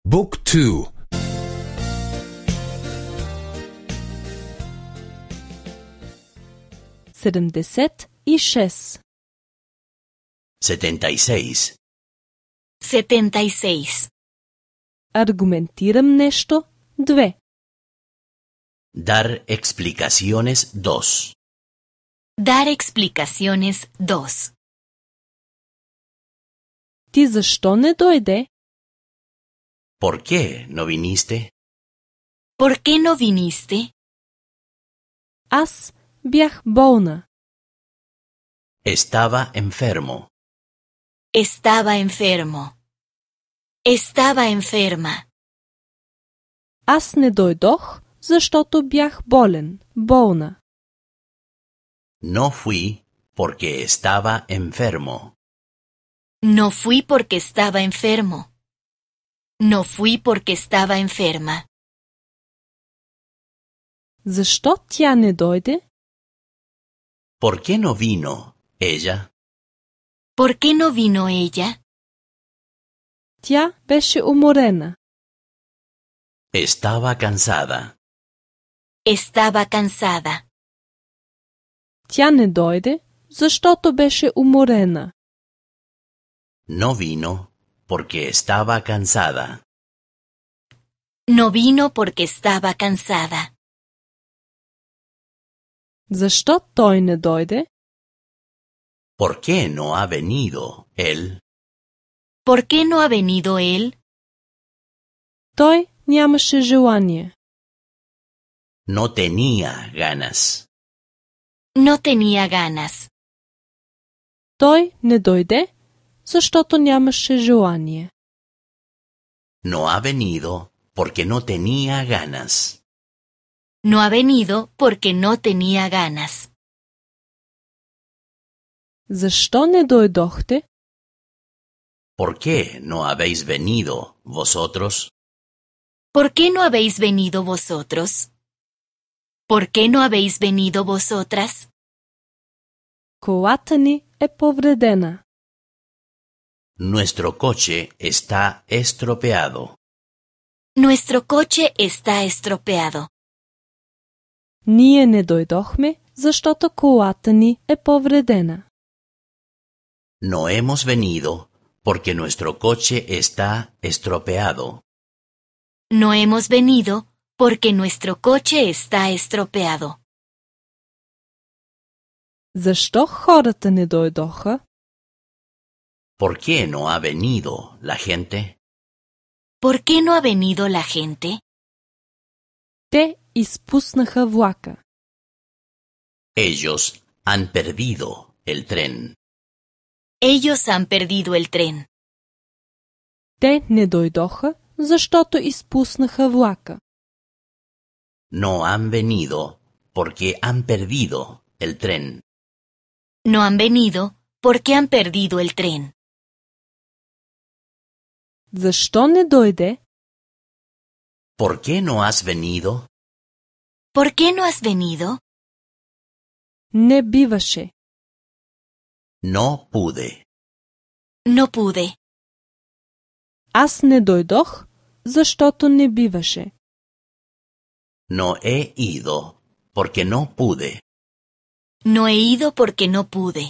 Book 2. 76. 76. 76. Аргументирам нещо 2. Dar explicaciones 2. Dar explicaciones 2. Ти защо не дойде? ¿Por qué no viniste? ¿Por qué no viniste? Аз бях болна. Estaba enfermo. Estaba enfermo. Estaba enferma. Аз не дойдох, защото бях болен, болна. No fui porque estaba enfermo. No fui porque estaba enfermo. No fui porque estaba enferma. Защо тя не дойде? ¿Por qué no vino ella? ¿Por qué no vino ella? Тя беше уморена. Estaba cansada. Estaba cansada. Тя не дойде, защото беше уморена. No vino porque estaba cansada. No vino porque estaba cansada. Защо той не дойде? ¿Por qué no ha venido él? ¿Por qué no ha venido él? Той нямаше желание. No tenía ganas. No tenía ganas. Той не дойде, защото нямаше желание. No ha venido porque no tenía ganas. No ha venido porque no tenía ganas. Защо не дойдохте? ¿Por qué no habéis venido vosotros? ¿Por qué no habéis venido vosotros? ¿Por qué no habéis venido vosotras? Колата ни е повредена. Nuestro coche está estropeado. Nuestro coche está estropeado. Ние не дойдохме, защото колата ни е повредена. No hemos venido porque nuestro coche está estropeado. No hemos venido porque nuestro coche está estropeado. Защо хората не дойдоха? ¿Por qué no ha venido la gente? ¿Por qué no ha venido la gente? Те изпуснаха влака. Ellos han perdido el tren. Ellos han perdido el tren. Те не дойдоха, защото изпуснаха влака. No han venido porque han perdido el tren. No han venido porque han perdido el tren. Защо не дойде? ¿Por qué no has venido? ¿Por qué no has venido? Не биваше. No pude. No pude. Аз не дойдох, защото не биваше. No he ido porque no pude. No he ido porque no pude.